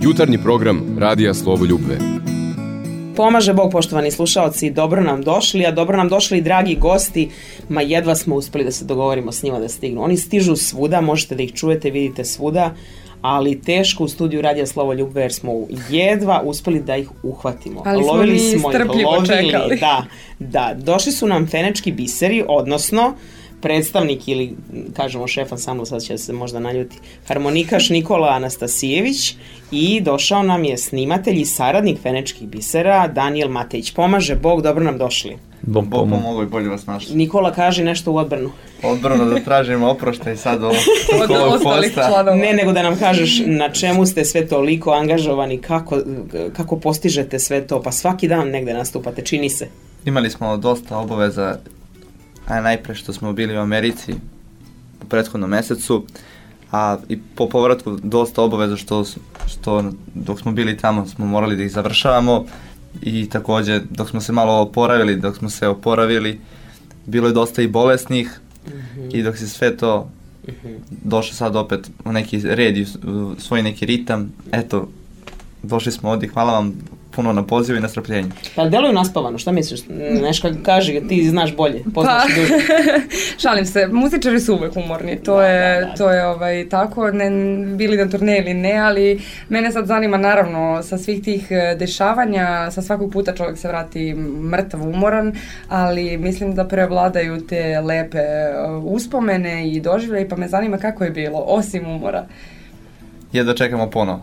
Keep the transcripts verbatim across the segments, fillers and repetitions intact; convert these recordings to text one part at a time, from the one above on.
Jutarnji program Radija Slovoljubve. Pomaže Bog, poštovani slušaoci, dobro nam došli, a dobro nam došli i dragi gosti, ma jedva smo uspeli da se dogovorimo s njima da stignu. Oni stižu svuda, možete da ih čujete, vidite svuda, ali teško u studiju Radija Slovoljubve jer smo jedva uspeli da ih uhvatimo. Ali smo lovili mi smo strpljivo ih, lovili, čekali. Da, da, došli su nam fenečki biseri, odnosno predstavnik ili, kažemo šef ansambla, sad će se možda naljuti, harmonikaš Nikola Anastasijević i došao nam je snimatelj i saradnik fenečkih bisera Danijel Matejić. Pomaže Bog, dobro nam došli. Bog pomogao i bolje vas našli. Nikola, kaži nešto u odbranu. Odbranu da tražimo oproštaj sad ovo. Od ostalih članova. Ne, nego da nam kažeš na čemu ste sve toliko angažovani, kako, kako postižete sve to, pa svaki dan negde nastupate, čini se. Imali smo dosta obaveza, a najpre što smo bili u Americi u prethodnom mesecu, a i po povratku dosta obaveza što, što dok smo bili tamo smo morali da ih završavamo i takođe dok smo se malo oporavili, dok smo se oporavili, bilo je dosta i bolesnih mm-hmm. i dok se sve to mm-hmm. došlo sad opet u neki red i u svoj neki ritam, eto, došli smo ovdje, hvala vam puno na pozivu i na strpljenju. Pa deluju naspavano, šta misliš? Nešto kaži, ti znaš bolje, poznaš pa, duže. Šalim se, muzičari su uvek umorni, to da, je, da, da. to je ovaj, tako, ne, bili na turneji ili ne, ali mene sad zanima naravno sa svih tih dešavanja, sa svakog puta čovjek se vrati mrtav, umoran, ali mislim da prevladaju te lepe uspomene i doživljaje, pa me zanima kako je bilo, osim umora. Jedva čekamo ponovo.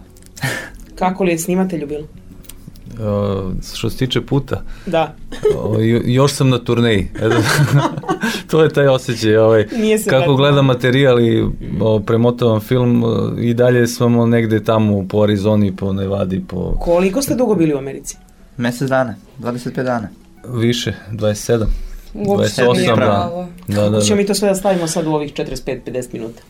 Kako li je snimatelju bilo? Uh, što se tiče puta, da. uh, još sam na turneji. To je taj osjećaj. Ovaj, kako gledam materijal i uh, premotavam film, uh, i dalje smo negde tamo po Arizoni, po Nevadi. Po... Koliko ste dugo bili u Americi? Mesec dana, dvadeset pet dana. Više, dvadeset sedam. Uopšte dvadeset osam, da. Da, da, da. Ćemo mi to sve da stavimo sad u ovih četrdeset pet do pedeset minuta.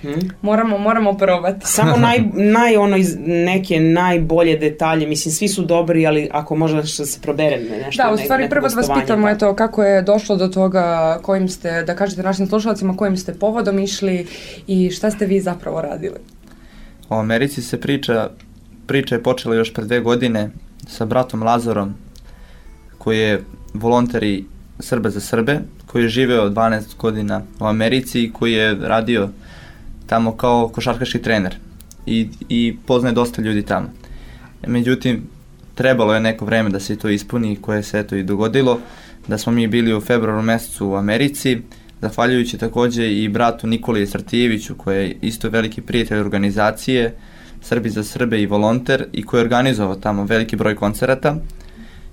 Hmm? Moramo, moramo probati. Samo naj, naj ono iz neke najbolje detalje, mislim svi su dobri, ali ako možda nešto se probere nešto. Da, u stvari ne, prvo da vas pitamo je to kako je došlo do toga, kojim ste, da kažete našim slušalcima, kojim ste povodom išli i šta ste vi zapravo radili. O Americi se priča, priča je počela još pre dve godine sa bratom Lazarom, koji je volonter i Srbe za Srbe, koji je živeo dvanaest godina u Americi i koji je radio tamo kao košarkaški trener i, i poznaje dosta ljudi tamo. Međutim, trebalo je neko vreme da se to ispuni, koje se eto i dogodilo, da smo mi bili u februaru mesecu u Americi, zahvaljujući takođe i bratu Nikoli Stratijeviću, koji je isto veliki prijatelj organizacije Srbi za Srbe i volonter i koji je organizovao tamo veliki broj koncerata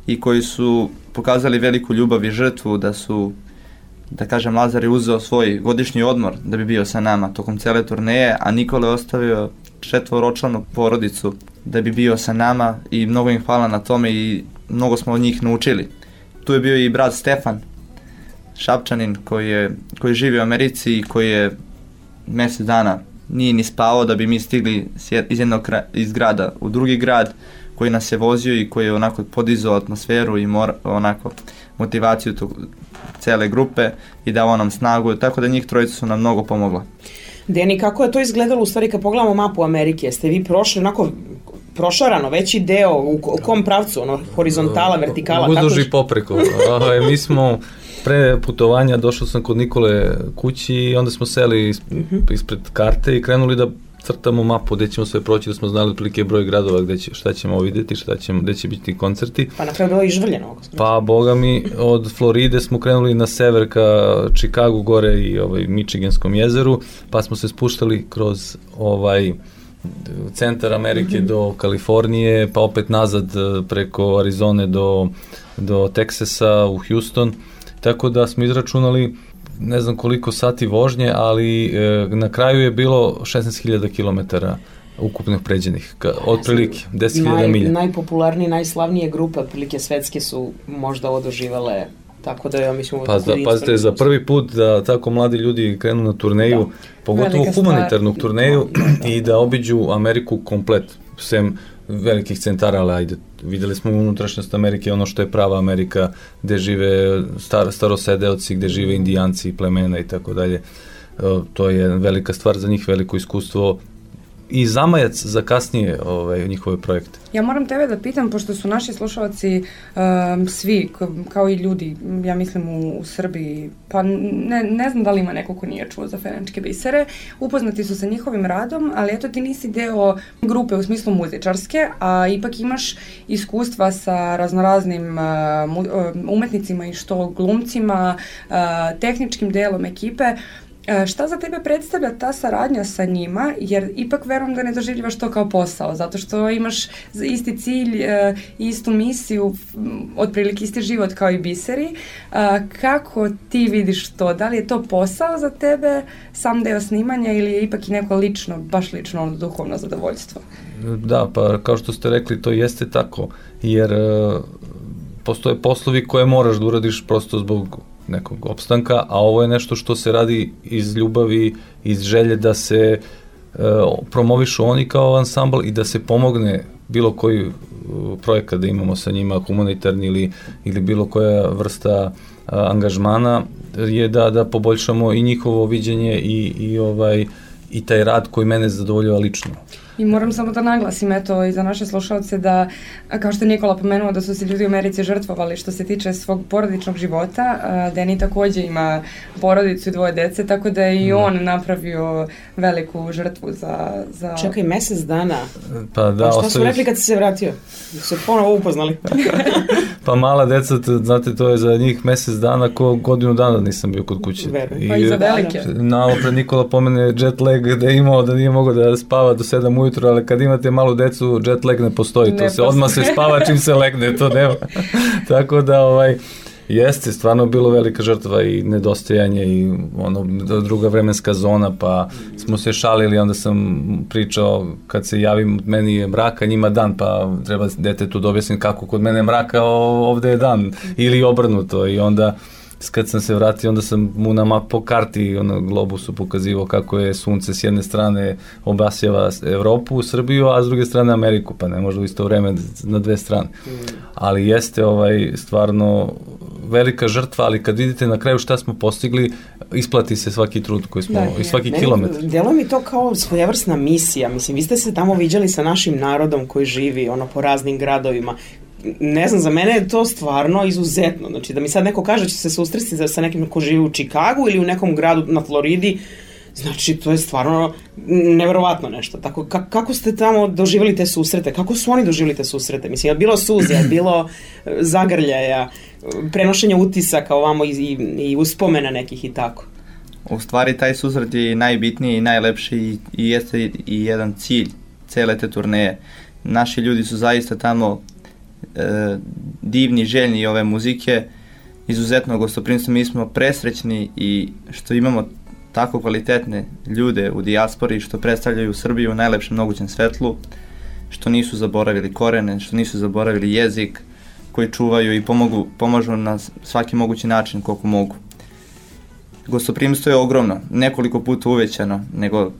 i koji su pokazali veliku ljubav i žrtvu da su, da kažem, Lazar je uzeo svoj godišnji odmor da bi bio sa nama tokom cele turneje, a Nikola je ostavio četvoročlanu porodicu da bi bio sa nama i mnogo im hvala na tome i mnogo smo od njih naučili. Tu je bio i brat Stefan Šapčanin koji je, koji živi u Americi i koji je mjesec dana nije ni spavao da bi mi stigli iz jednog iz grada u drugi grad, koji nas je vozio i koji je onako podizao atmosferu i mor, onako motivaciju tog cele grupe i dao nam snagu, tako da njih trojica su nam mnogo pomogla. Deni, kako je to izgledalo u stvari kad pogledamo mapu Amerike? Jeste vi prošli onako prošarano, veći deo, u kom pravcu, ono, horizontala, vertikala? Uzduž i popreko. Mi smo pre putovanja, došao sam kod Nikole kući i onda smo seli ispred karte i krenuli da crtamo mapu gde ćemo sve proći, da smo znali otprilike broj gradova gde će, šta ćemo vidjeti, šta ćemo, gde će biti koncerti. Pa na kraju bilo i žvrljeno. Pa boga mi, od Floride smo krenuli na sever ka Chicagu gore i ovaj Michiganskom jezeru, pa smo se spuštali kroz ovaj centar Amerike mm-hmm. do Kalifornije, pa opet nazad preko Arizone do, do Teksasa u Houston, tako da smo izračunali ne znam koliko sati vožnje, ali e, na kraju je bilo šesnaest hiljada kilometara ukupnih pređenih, otprilike deset hiljada milja. Najpopularnije, najslavnije grupe, otprilike svetske su možda odoživale, tako da ja mislim... Pa da, pazite, za prvi put da tako mladi ljudi krenu na turneju, da. Pogotovo velika humanitarnu stvar. Turneju da. I da obiđu Ameriku komplet, sem velikih centara, ali ajde, videli smo unutrašnjost Amerike, ono što je prava Amerika, gde žive star, starosedeoci, gde žive indijanci, plemena i tako dalje. To je velika stvar za njih, veliko iskustvo, i zamajac za kasnije ovaj, njihove projekte. Ja moram tebe da pitam, pošto su naši slušalci um, svi, kao i ljudi, ja mislim u, u Srbiji, pa ne, ne znam da li ima neko ko nije čuo za Fenečke bisere, upoznati su sa njihovim radom, ali eto ti nisi deo grupe u smislu muzičarske, a ipak imaš iskustva sa raznoraznim uh, umetnicima i što glumcima, uh, tehničkim delom ekipe. Šta za tebe predstavlja ta saradnja sa njima, jer ipak verujem da ne doživljivaš to kao posao, zato što imaš isti cilj, istu misiju, otprilike isti život kao i biseri. Kako ti vidiš to? Da li je to posao za tebe, sam deo snimanja, ili je ipak i neko lično, baš lično ono duhovno zadovoljstvo? Da, pa kao što ste rekli, to jeste tako, jer postoje poslovi koje moraš da uradiš prosto zbog nekog opstanka, a ovo je nešto što se radi iz ljubavi, iz želje da se e, promovišu oni kao ansambl i da se pomogne bilo koji uh, projekat da imamo sa njima, humanitarni ili, ili bilo koja vrsta uh, angažmana, je da, da poboljšamo i njihovo viđenje i, i, ovaj, i taj rad koji mene zadovoljava lično. I moram samo da naglasim, eto, i za naše slušalce da, kao što je Nikola pomenuo, da su se ljudi u Americi žrtvovali što se tiče svog porodičnog života. Deni takođe ima porodicu i dvoje dece, tako da je i on napravio veliku žrtvu za... za... Čekaj, mesec dana? Pa da, a šta ostavi... su rekli kad si se vratio? Su se ponovo upoznali? Pa mala deca, znate, to je za njih mesec dana, ko godinu dana nisam bio kod kuće. I, pa i za velike. Nalo pred Nikola pomene jet lag da je imao, da nije mogao da spava do sedam ujutru, ali kad imate malu decu, jet lag ne postoji, ne to se postoji. Odmah se spava čim se legne, to nema. Tako da, ovaj, jeste, stvarno bilo velika žrtva i nedostajanje i ono, druga vremenska zona, pa smo se šalili, onda sam pričao, kad se javim, meni je mraka, njima dan, pa treba detetu da objasnim kako kod mene mraka, ovde je dan, ili obrnuto, i onda kad sam se vratio, onda sam mu na map po karti, ono, globusu pokazivao kako je sunce s jedne strane obasjava Evropu, Srbiju, a s druge strane Ameriku, pa ne može u isto vreme na dve strane. Ali jeste ovaj stvarno velika žrtva, ali kad vidite na kraju šta smo postigli, isplati se svaki trud koji smo, da, i svaki meni, kilometar. Delo mi to kao svojevrsna misija, mislim, vi ste se tamo viđali sa našim narodom koji živi, ono, po raznim gradovima. Ne znam, za mene je to stvarno izuzetno. Znači, da mi sad neko kaže da će se susresti sa nekim ko živi u Čikagu ili u nekom gradu na Floridi, znači, to je stvarno neverovatno nešto. Tako, kako ste tamo doživjeli te susrete? Kako su oni doživjeli te susrete? Mislim, je bilo suze, je bilo zagrljaja, prenošenja utisaka ovamo i, i, i uspomena nekih i tako? U stvari, taj susret je najbitniji i najlepši i, i jeste i jedan cilj cele te turneje. Naši ljudi su zaista tamo e, divni, željni ove muzike, izuzetno gostoprimstvo. Mi smo presrećni i što imamo tako kvalitetne ljude u dijaspori što predstavljaju Srbiju u najlepšem mogućem svetlu, što nisu zaboravili korene, što nisu zaboravili jezik, koji čuvaju i pomogu, pomažu na svaki mogući način koliko mogu. Gostoprimstvo je ogromno, nekoliko puta uvećano, nego,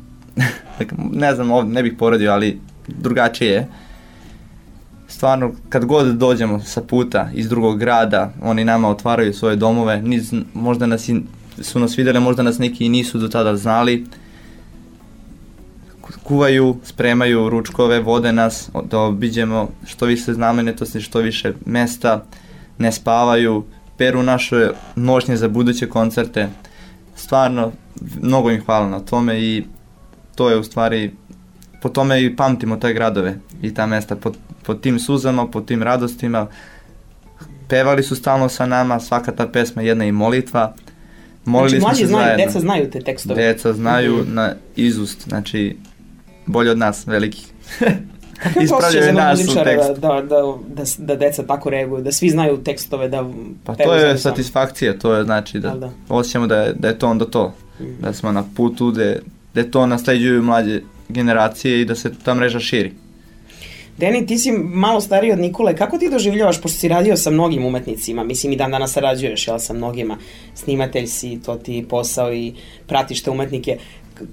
ne znam, ovdje ne bih poredio, ali drugačije je. Stvarno, kad god dođemo sa puta iz drugog grada, oni nama otvaraju svoje domove, niz, možda nas i, su nas vidjeli, možda nas neki i nisu do tada znali. Kuvaju, spremaju ručkove, vode nas da obiđemo što više znamenitosti, što više mesta, ne spavaju, peru naše nošnje za buduće koncerte. Stvarno, mnogo im hvala na tome i to je u stvari, po tome i pamtimo te gradove i ta mesta, po, po tim suzama, po tim radostima. Pevali su stalno sa nama, svaka ta pesma jedna i molitva. Molili znači, mlađi znaju, zajedno. Deca znaju te tekstove. Deca znaju mm-hmm. na izust, znači bolje od nas, velikih. Kako je to osjećaj za muzičara da, da, da, da, da deca tako reaguju, da svi znaju tekstove, da pa to je satisfakcija, to je znači da, da. osjećamo da je, da je to onda to, mm. da smo na putu, da, da to nasleđuju mlađe generacije i da se ta mreža širi. Deni, ti si malo stariji od Nikole, kako ti doživljavaš, pošto si radio sa mnogim umetnicima, mislim i dan danas sarađuješ, jel, sa mnogima, snimatelj si, to ti posao i pratiš te umetnike.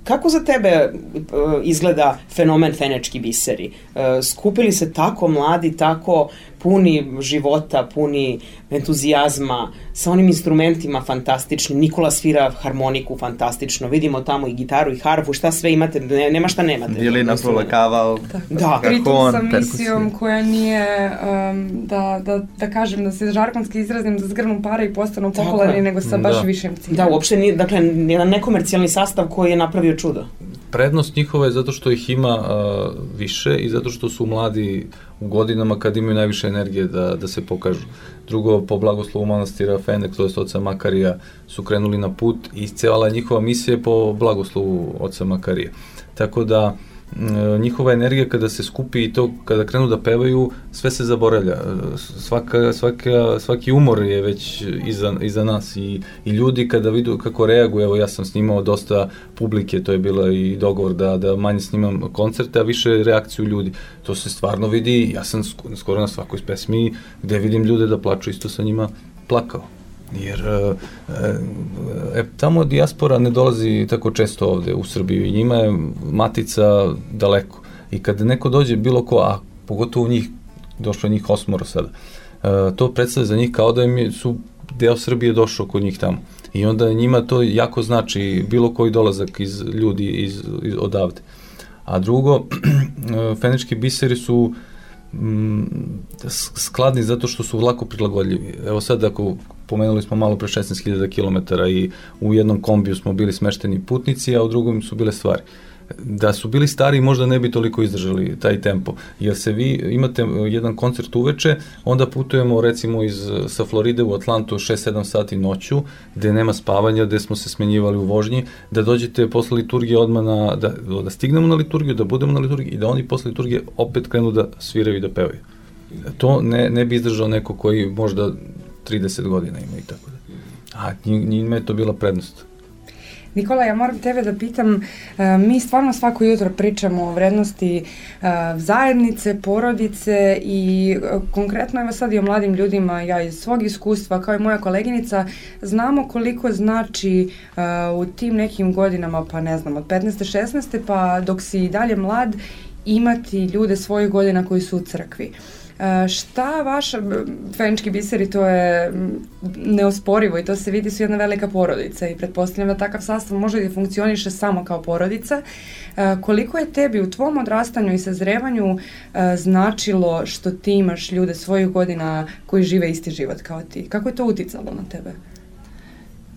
Kako za tebe uh, izgleda fenomen Fenečki biseri? Uh, skupili se tako mladi, tako puni života, puni entuzijazma, sa onim instrumentima fantastični. Nikola svira harmoniku fantastično, vidimo tamo i gitaru i harfu, šta sve imate, ne, nema šta nemate. Violina, polakaval, da. Pritom sa misijom koja nije, um, da, da, da kažem, da se žargonski izrazim, da zgrnu pare i postanu popularni, nego sa baš da. višim ciljem. Da, uopšte nije, dakle, jedan nekomercijalni sastav koji je napravio čudo. Prednost njihova je zato što ih ima uh, više i zato što su mladi u godinama kad imaju najviše energije da, da se pokažu. Drugo, po blagoslovu manastira Fendek, to je oca Makarija, su krenuli na put i cijela njihova misija je po blagoslovu oca Makarija. Tako da njihova energija kada se skupi i to kada krenu da pevaju, sve se zaboravlja. Svaka, svaka, svaki umor je već iza, iza nas i, i ljudi kada vidu kako reaguju, evo ja sam snimao dosta publike, to je bilo i dogovor da, da manje snimam koncerte, a više reakciju ljudi. To se stvarno vidi, ja sam skoro na svakoj pesmi gde vidim ljude da plaču, isto sa njima plakao. Jer e, tamo dijaspora ne dolazi tako često ovde u Srbiju i njima je matica daleko. I kad neko dođe bilo ko, a pogotovo njih, došlo je njih osmoro sada, e, to predstavlja za njih kao da im su deo Srbije došao kod njih tamo. I onda njima to jako znači bilo koji dolazak iz ljudi iz, iz, odavde. A drugo, fenički biseri su skladni zato što su lako prilagodljivi. Evo sad ako pomenuli smo malo pre šesnaest hiljada kilometara i u jednom kombiju smo bili smešteni putnici, a u drugom su bile stvari. Da su bili stari možda ne bi toliko izdržali taj tempo, jer se vi imate jedan koncert uveče, onda putujemo recimo iz, sa Floride u Atlantu šest sedam sati noću, gde nema spavanja, gde smo se smenjivali u vožnji, da dođete posle liturgije odmah na, da, da stignemo na liturgiju, da budemo na liturgiji i da oni posle liturgije opet krenu da sviraju i da pevaju. To ne, ne bi izdržao neko koji možda trideset godina ima i tako da. A njima je to bila prednost. Nikola, ja moram tebe da pitam, mi stvarno svako jutro pričamo o vrednosti zajednice, porodice i konkretno evo sad i o mladim ljudima, ja iz svog iskustva kao i moja koleginica, znamo koliko znači u tim nekim godinama, pa ne znam, od petnaeste šesnaeste pa dok si i dalje mlad, imati ljude svojih godina koji su u crkvi. Uh, šta vaša, fenički biseri, to je neosporivo i to se vidi, su jedna velika porodica i pretpostavljam da takav sastav može da funkcioniše samo kao porodica. Uh, koliko je tebi u tvom odrastanju i sazrevanju uh, značilo što ti imaš ljude svojih godina koji žive isti život kao ti? Kako je to uticalo na tebe?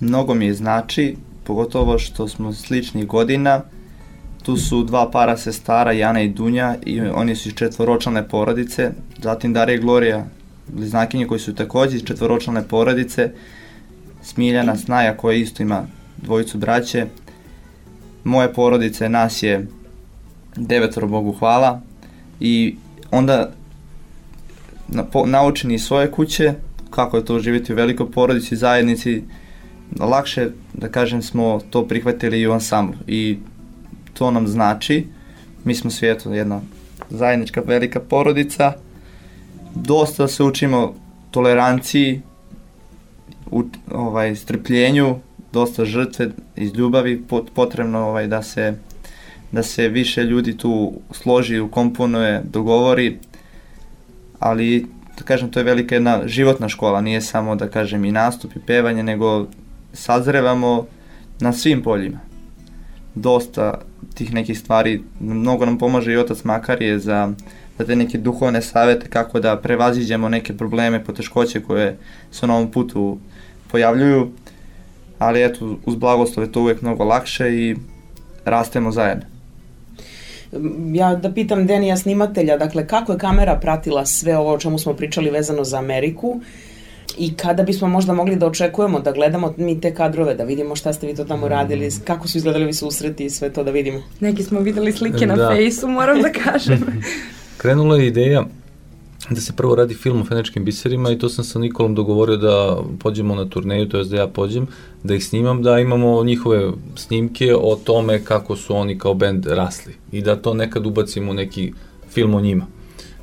Mnogo mi je znači, pogotovo što smo sličnih godina. Tu su dva para sestara, Jana i Dunja, i oni su iz četvoročlane porodice, zatim Darija i Glorija, bliznakinje koji su takođe iz četvoročlane porodice, Smiljana, Snaja koja isto ima dvojicu braće. Moje porodice, nas je devetoro, Bogu hvala, i onda na, po, naučeni iz svoje kuće, kako je to živjeti u velikoj porodici, zajednici, lakše, da kažem, smo to prihvatili i u ansamblu. I to nam znači, mi smo svijetu jedna zajednička velika porodica, dosta se učimo toleranciji, u, ovaj, strpljenju, dosta žrtve iz ljubavi, potrebno ovaj, da se da se više ljudi tu složi, ukomponuje, dogovori, ali da kažem, to je velika jedna životna škola, nije samo da kažem i nastup i pevanje, nego sazrevamo na svim poljima. Dosta tih nekih stvari, mnogo nam pomaže i otac Makarije za, za te neke duhovne savete kako da prevaziđemo neke probleme, poteškoće koje se na ovom putu pojavljuju, ali eto, uz blagoslov je to uvijek mnogo lakše i rastemo zajedno. Ja da pitam Denija snimatelja, dakle kako je kamera pratila sve ovo o čemu smo pričali vezano za Ameriku i kada bismo možda mogli da očekujemo da gledamo mi te kadrove, da vidimo šta ste vi to tamo radili, kako su izgledali vi susreti i sve to da vidimo. Neki smo videli slike na da. Fejsu, moram da kažem. Krenula je ideja da se prvo radi film o feničkim biserima i to sam sa Nikolom dogovorio da pođemo na turneju, to je da ja pođem, da ih snimam, da imamo njihove snimke o tome kako su oni kao bend rasli i da to nekad ubacimo u neki film o njima.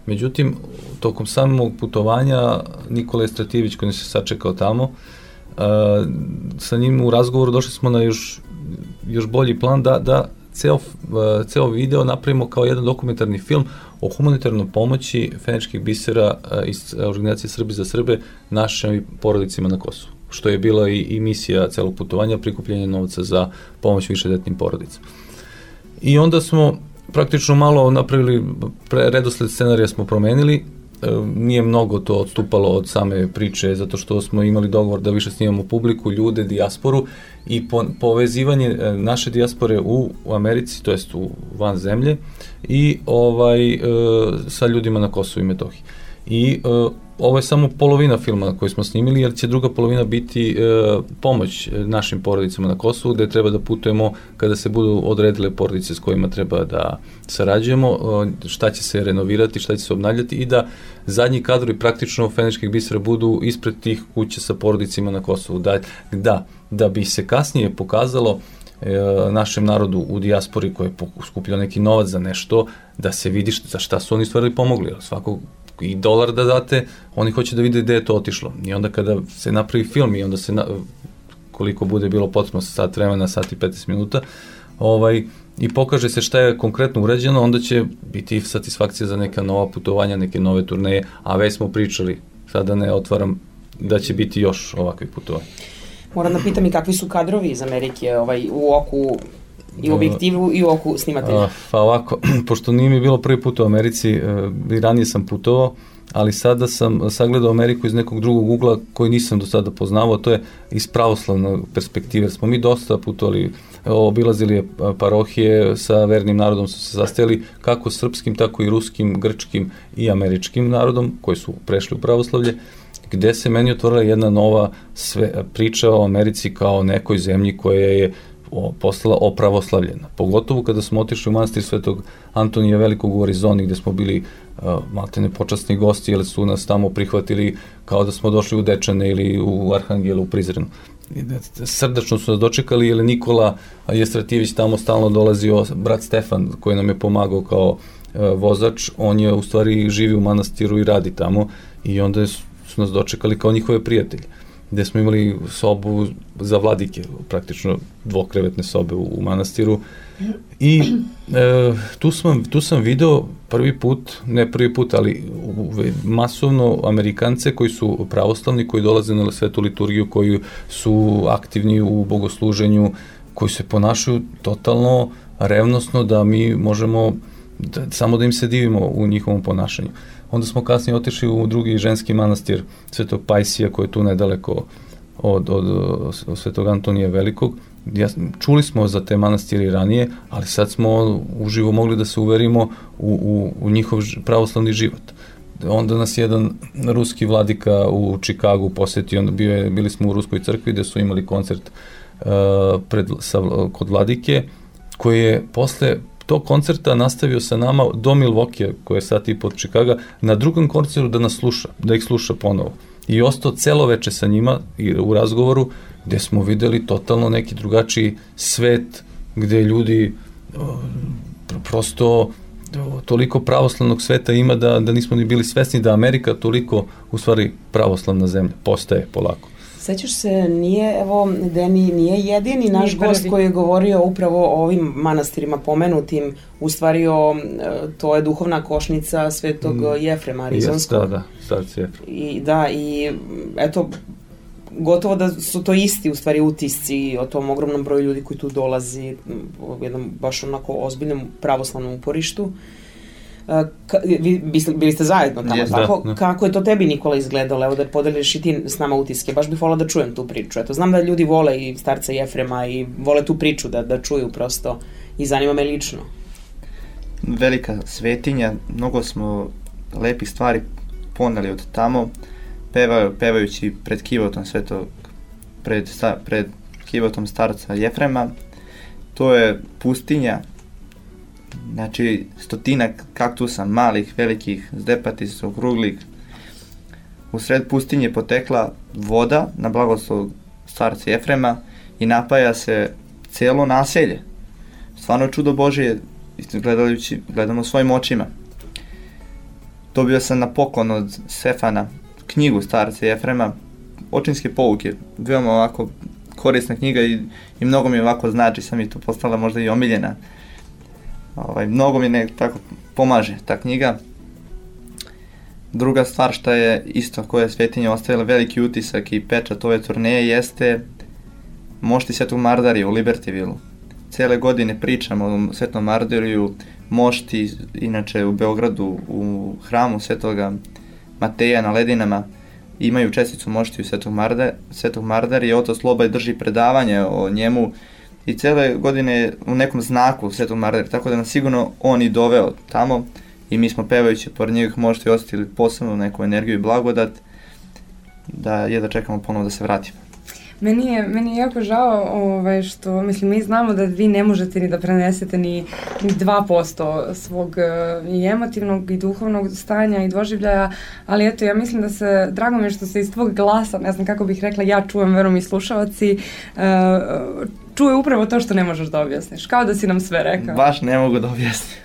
Međutim, tokom samog putovanja Nikola Estratijević koji se sačekao tamo, uh, sa njim u razgovoru došli smo na još, još bolji plan da, da ceo, ceo video napravimo kao jedan dokumentarni film o humanitarnoj pomoći Feničkih bisera iz organizacije Srbi za Srbe našim porodicima na Kosovu, što je bila i, i misija celog putovanja, prikupljanje novca za pomoć višedetnim porodicama. I onda smo praktično malo napravili, pre, redosled scenarija smo promenili, e, nije mnogo to odstupalo od same priče, zato što smo imali dogovor da više snimamo publiku, ljude, dijasporu i po, povezivanje e, naše dijaspore u, u Americi, to jest u van zemlje, i ovaj, e, sa ljudima na Kosovu i Metohiji. I e, ovo je samo polovina filma koju smo snimili, jer će druga polovina biti e, pomoć našim porodicama na Kosovu, gde treba da putujemo kada se budu odredile porodice s kojima treba da sarađujemo, e, šta će se renovirati, šta će se obnavljati i da zadnji kadrovi praktično Feničkih bisera budu ispred tih kuća sa porodicima na Kosovu. Da, da, da bi se kasnije pokazalo e, našem narodu u dijaspori koji je skupljao neki novac za nešto, da se vidi šta, za šta su oni stvarili pomogli. Svako i dolar da date, oni hoće da vide gde je to otišlo. I onda kada se napravi film i onda se, na, koliko bude bilo potrebno, sat vremena, sat i petnaest minuta, ovaj, i pokaže se šta je konkretno urađeno, onda će biti satisfakcija za neka nova putovanja, neke nove turneje, a već smo pričali, sada ne otvaram, da će biti još ovakvih putovanja. Moram da pitam i kakvi su kadrovi iz Amerike ovaj, u oku i u objektivu i u oku snimatelja? Uh, pa ovako, pošto nije mi bilo prvi put u Americi, uh, i ranije sam putovao, ali sada sam sagledao Ameriku iz nekog drugog ugla koji nisam do sada poznavao, to je iz pravoslavne perspektive. Smo mi dosta putovali, obilazili parohije, sa vernim narodom su se sastajali, kako srpskim, tako i ruskim, grčkim i američkim narodom, koji su prešli u pravoslavlje, gde se meni otvorila jedna nova sve, priča o Americi kao nekoj zemlji koja je o, postala opravoslavljena. Pogotovo kada smo otišli u manastir Svetog Antonija Velikog u Arizoni, gde smo bili uh, maltene počasni gosti, jer su nas tamo prihvatili kao da smo došli u Dečane ili u Arhangelu, u Prizrenu. Srdačno su nas dočekali, jer Nikola Jestratijević tamo stalno dolazio, brat Stefan koji nam je pomagao kao uh, vozač, on je u stvari živi u manastiru i radi tamo, i onda su nas dočekali kao njihove prijatelje, gde smo imali sobu za vladike, praktično dvokrevetne sobe u, u manastiru, i e, tu, sam, tu sam video prvi put, ne prvi put, ali masovno Amerikance koji su pravoslavni, koji dolaze na svetu liturgiju, koji su aktivni u bogosluženju, koji se ponašaju totalno revnosno, da mi možemo da, samo da im se divimo u njihovom ponašanju. Onda smo kasnije otišli u drugi ženski manastir Svetog Pajsija, koji je tu nedaleko od, od, od Svetog Antonija Velikog. Ja, čuli smo za te manastire ranije, ali sad smo uživo mogli da se uverimo u, u, u njihov pravoslavni život. Onda nas jedan ruski vladika u Čikagu posetio, onda bio je, bili smo u Ruskoj crkvi gde su imali koncert uh, pred, sa, kod vladike, koji je posle tog koncerta nastavio sa nama do Milvokija, koji je sat i pod Čikaga, na drugom koncertu da nas sluša, da ih sluša ponovo. I ostao celo veče sa njima i u razgovoru, gde smo videli totalno neki drugačiji svet, gde ljudi o, prosto o, toliko pravoslavnog sveta ima da, da nismo ni bili svesni da Amerika toliko, u stvari, pravoslavna zemlja postaje polako. Sećaš se, nije, evo, Deni nije jedini naš nije gost koji je govorio upravo o ovim manastirima pomenutim, u stvari o, to je duhovna košnica Svetog mm. Jefrema Arizonskog. Da, da, starci Jefrem. I da, i eto, gotovo da su to isti u stvari utisci o tom ogromnom broju ljudi koji tu dolazi, u jednom baš onako ozbiljnom pravoslavnom uporištu. Ka, vi, bili ste zajedno tamo, yes, tako? Da, da. Kako je to tebi, Nikola, izgledalo? Evo da podeliš i ti s nama utiske. Baš bih volila da čujem tu priču. Eto, znam da ljudi vole i starca Jefrema i vole tu priču da, da čuju prosto, i zanima me lično. Velika svetinja, mnogo smo lepih stvari poneli od tamo, pevaju, pevajući pred kivotom svetog, pred, sta, pred kivotom starca Jefrema. To je pustinja, znači stotinak kaktusa, malih, velikih, zdepatih, okruglih. U sred pustinje potekla voda na blagoslov starca Jefrema i napaja se celo naselje. Stvarno čudo Božije, gledajući, gledamo svojim očima. Dobio sam na poklon od Stefana knjigu starca Jefrema, očinske pouke, veoma ovako korisna knjiga, i, i mnogo mi ovako znači, sam mi to postala možda i omiljena. Ovaj, mnogo mi ne tako pomaže ta knjiga. Druga stvar što je isto koja je Svetinja ostavila veliki utisak i pečat ove turneje jeste mošti Svetog Mardarija u Libertyvilu. Cele godine pričamo o Svetom Mardariju, mošti inače u Beogradu u hramu Svetoga Mateja na Ledinama imaju česticu moštiju Svetog Marda, Svetog Mardarija, otac Slobaj drži predavanje o njemu i cele godine u nekom znaku Svetog Mardarija, tako da nas sigurno on i doveo tamo i mi smo pevajući pored njegovih moštiju osetili posebno neku energiju i blagodat da je da čekamo ponovo da se vratimo. Meni je, meni je jako žao ovaj, što, mislim, mi znamo da vi ne možete ni da prenesete ni, ni dva posto svog uh, i emotivnog i duhovnog stanja i doživljaja, ali eto, ja mislim da se, drago mi je što se iz tvog glasa, ne znam kako bih rekla, ja čujem, verujem i slušalci, uh, čuje upravo to što ne možeš da objasniš, kao da si nam sve rekao. Baš ne mogu da objasnim.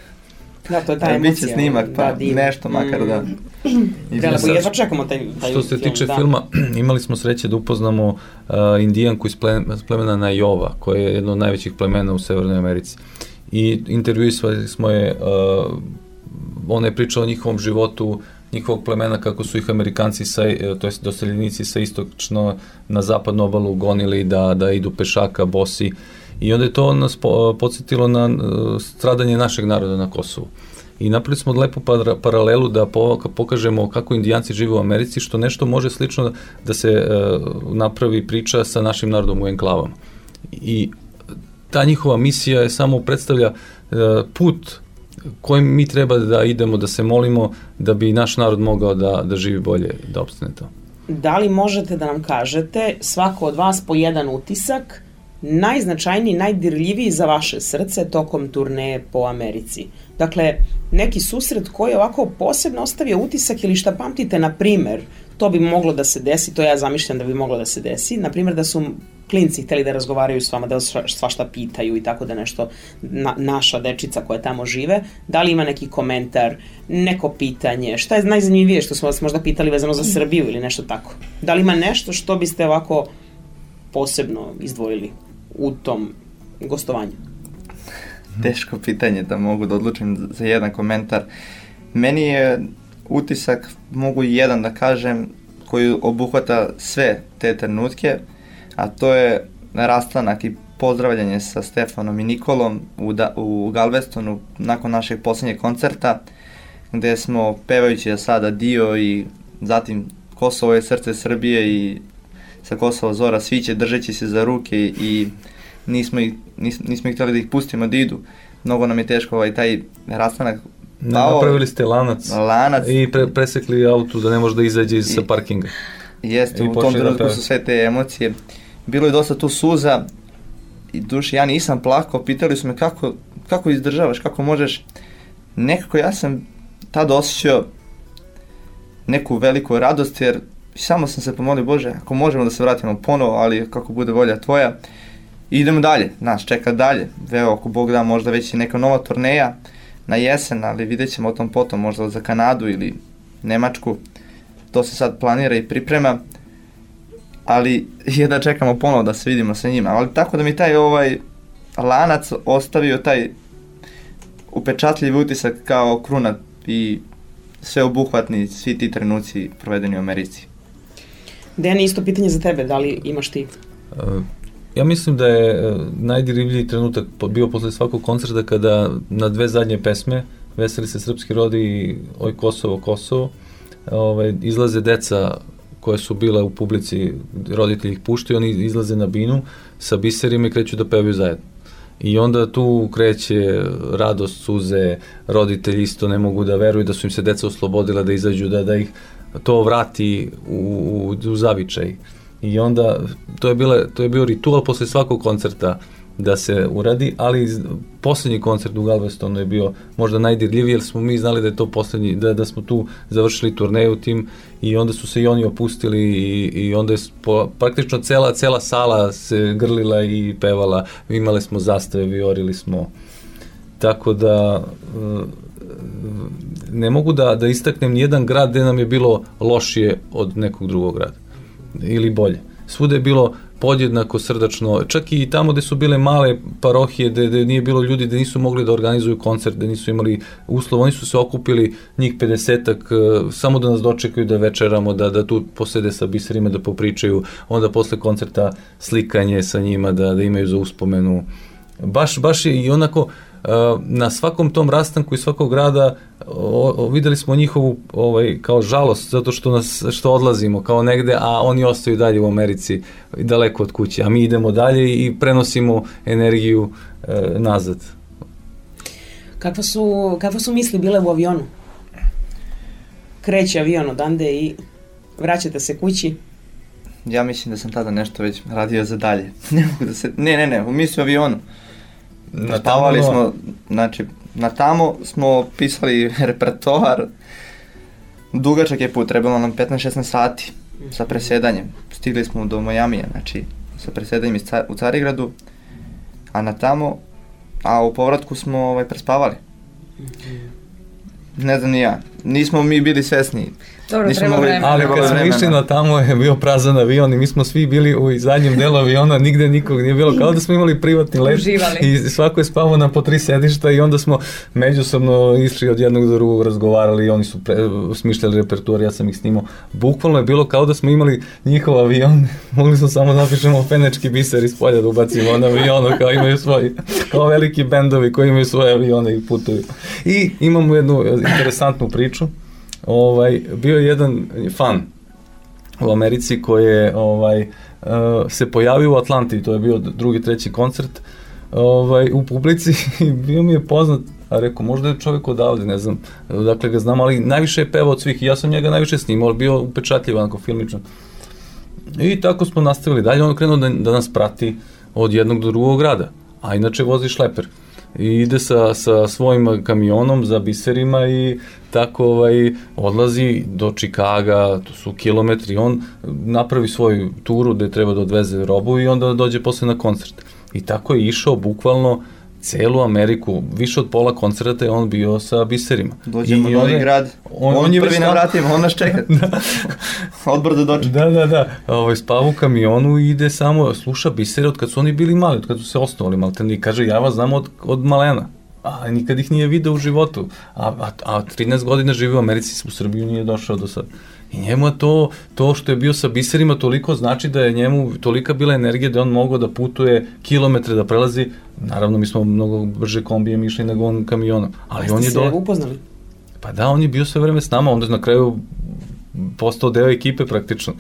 Da, to je ta emocija. Biće snimak, pa da, nešto makar mm. da... Prelepo, jedva čekamo taj, taj Što se film, tiče da. filma, imali smo sreće da upoznamo uh, indijanku iz plemena Najova, koje je jedno od najvećih plemena u Severnoj Americi. I intervjuisali smo je, uh, ona je pričala o njihovom životu, njihovog plemena, kako su ih Amerikanci, sa, to jest doseljenici sa istočno na zapadnu obalu gonili da, da idu pešaka, bosi. I onda je to nas po, podsjetilo na uh, stradanje našeg naroda na Kosovu. I napravili smo lepu paralelu da po, pokažemo kako indijanci žive u Americi, što nešto može slično da se uh, napravi priča sa našim narodom u enklavama. I ta njihova misija je samo predstavlja uh, put kojim mi treba da idemo, da se molimo, da bi naš narod mogao da, da živi bolje, da opstane to. Da li možete da nam kažete, svako od vas po jedan utisak, najznačajniji, najdirljiviji za vaše srce tokom turneje po Americi? Dakle, neki susret koji je ovako posebno ostavio utisak ili šta pamtite, na primer, to bi moglo da se desi, to ja zamišljam da bi moglo da se desi, na primer da su klinci hteli da razgovaraju s vama, da svašta pitaju i tako da nešto, na, naša dečica koja tamo žive, da li ima neki komentar, neko pitanje, šta je najzanimljivije što smo vas možda pitali vezano za Srbiju ili nešto tako? Da li ima nešto što biste ovako posebno izdvojili u tom gostovanju? Teško pitanje da mogu da odlučim za jedan komentar. Meni je utisak, mogu jedan da kažem, koji obuhvata sve te trenutke, a to je rastanak i pozdravljanje sa Stefanom i Nikolom u, da, u Galvestonu nakon našeg posljednjeg koncerta, gde smo pevajući za sada Dio i zatim Kosovo je srce Srbije i sa Kosova zora sviće, držeći se za ruke i nismo ih, nis, nismo ih htjeli da ih pustimo da idu. Mnogo nam je teško ovaj taj rastanak. Pao, napravili ste lanac, lanac i pre, presekli auto da ne može da izađe iz sa parkinga. Jeste, u tom trenutku su sve te emocije. Bilo je dosta tu suza i duši, ja nisam plakao, pitali su me kako, kako izdržavaš, kako možeš. Nekako ja sam tada osjećao neku veliku radost, jer samo sam se pomolio, Bože, ako možemo da se vratimo ponovo, ali kako bude volja tvoja. I idemo dalje, nas čeka dalje. Evo, ako Bog da, možda već i neka nova turneja na jesen, ali vidjet ćemo o tom potom, možda za Kanadu ili Nemačku. To se sad planira i priprema, ali je da čekamo ponovo da se vidimo sa njima. Ali tako da mi taj ovaj lanac ostavio taj upečatljiv utisak kao kruna i sveobuhvatni svi ti trenuci provedeni u Americi. Dejan, isto pitanje za tebe, da li imaš ti? Uh, ja mislim da je najdirivljiji trenutak bio posle svakog koncerta kada na dve zadnje pesme, Veseli se srpski rod i Oj Kosovo, Kosovo, ovaj, izlaze deca koje su bile u publici, roditelji ih puštaju, oni izlaze na binu sa biserima i kreću da pevaju zajedno. I onda tu kreće radost, suze, roditelji isto ne mogu da veruju da su im se deca oslobodila, da izađu, da, da ih to vrati u, u, u zavičaj. I onda to je, bila, to je bio ritual posle svakog koncerta da se uradi, ali poslednji koncert u Galvestonu je bio možda najdirljiviji, jer smo mi znali da je to poslednji, da, da smo tu završili turneju tim i onda su se i oni opustili i, i onda je po, praktično cela, cela sala se grlila i pevala, imali smo zastave, viorili smo, tako da ne mogu da, da istaknem nijedan grad gde nam je bilo lošije od nekog drugog grada ili bolje. Svuda je bilo podjednako srdačno, čak i tamo gde su bile male parohije, gde, gde nije bilo ljudi, gde nisu mogli da organizuju koncert, gde nisu imali uslov, oni su se okupili njih pedesetak, samo da nas dočekaju da večeramo, da, da tu posede sa biserima, da popričaju, onda posle koncerta slikanje sa njima, da, da imaju za uspomenu. Baš, baš je i onako, na svakom tom rastanku i svakog grada o, o, videli smo njihovu ovaj, kao žalost zato što nas što odlazimo kao negde, a oni ostaju dalje u Americi daleko od kuće, a mi idemo dalje i prenosimo energiju e, nazad. Kakva su, kakva su misli bile u avionu? Kreće avion odande i vraćate se kući? Ja mislim da sam tada nešto već radio za dalje. ne mogu da se, ne, ne, ne, u misli u avionu. Spavali smo, znači, na tamo smo pisali repertoar, dugačak je put, trebalo nam petnaest šesnaest sati sa presedanjem. Stigli smo do Majamija, znači, sa presedanjem u Carigradu, a na tamo, a u povratku smo ovaj, prespavali. Ne znam ni ja, nismo mi bili svesni. Dobro, treba vremena. Ali kad smo išli na tamo je bio prazan avion i mi smo svi bili u zadnjem delu aviona, nigde nikog nije bilo, kao da smo imali privatni let. Uživali. I svako je spavao na po tri sedišta i onda smo međusobno išli od jednog do drugog, razgovarali i oni su pre, smišljali repertuar, ja sam ih snimao. Bukvalno je bilo kao da smo imali njihov avion, mogli smo samo napišemo Fenečki biser iz polja da ubacimo na avionu, kao imaju svoji, kao veliki bendovi koji imaju svoje avione i putuju. I imamo jednu interesantnu priču. Ovaj, bio je jedan fan u Americi koji je ovaj, uh, se pojavio u Atlanti, to je bio drugi, treći koncert ovaj, u publici i bio mi je poznat, a rekao, možda je čovjek odavde, ne znam, dakle ga znam, ali najviše je pevao od svih i ja sam njega najviše snimao, ali bio upečatljiv, onako filmičan. I tako smo nastavili dalje, on krenuo da, da nas prati od jednog do drugog grada, a inače vozi šleper. I ide sa, sa svojim kamionom za biserima i tako ovaj, odlazi do Čikaga, to su kilometri, on napravi svoju turu gde treba da odveze robu i onda dođe posle na koncert. I tako je išao bukvalno celu Ameriku, više od pola koncerta je on bio sa biserima. Dođemo u novi grad, on, on, on je prvi na vratima, on nas čeka. Da. Odbor da dočeka. Da, da, da. Ovaj, spava u kamionu i ide samo, sluša bisere od kad su oni bili mali, od kad su se osnovali maltene i kaže, ja vas znam od, od malena. A nikad ih nije video u životu. A, a, a trinaest godina živi u Americi, u Srbiju nije došao do sad. I njemu to, to što je bio sa biserima toliko znači da je njemu tolika bila energija da on mogao da putuje kilometre, da prelazi. Naravno, mi smo mnogo brže kombijem išli nego on kamionom. Ali Ste on je se do... upoznali? Pa da, on je bio sve vreme s nama, onda na kraju postao deo ekipe praktično.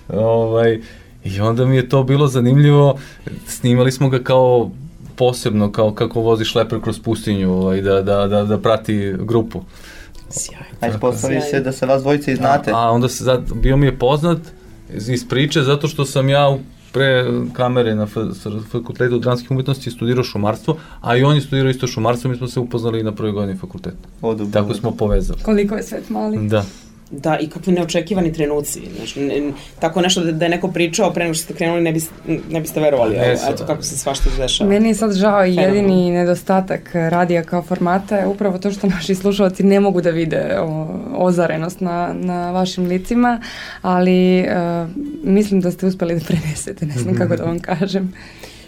Ovaj, I onda mi je to bilo zanimljivo. Snimali smo ga kao posebno, kao kako vozi šleper kroz pustinju, ovaj, da, da, da, da prati grupu. Sjajno. A ispostavi se da se vas dvojice i znate. A, a onda se, zad, bio mi je poznat iz priče zato što sam ja pre kamere na fakultetu dramskih umetnosti studirao šumarstvo, a i on je studirao isto šumarstvo, mi smo se upoznali na prvoj godini fakulteta. Tako smo povezali. Koliko je svet mali. Da. Da, i kakvi neočekivani trenuci. Znači, ne, tako nešto da, da je neko pričao pre nego što ste krenuli, ne, biste, ne biste verovali. Ne, eto kako se svašta dešava. Meni je sad žao i jedini nedostatak radija kao formata je upravo to što naši slušalci ne mogu da vide o, ozarenost na, na vašim licima, ali uh, mislim da ste uspeli da prenesete, ne znam kako da vam kažem.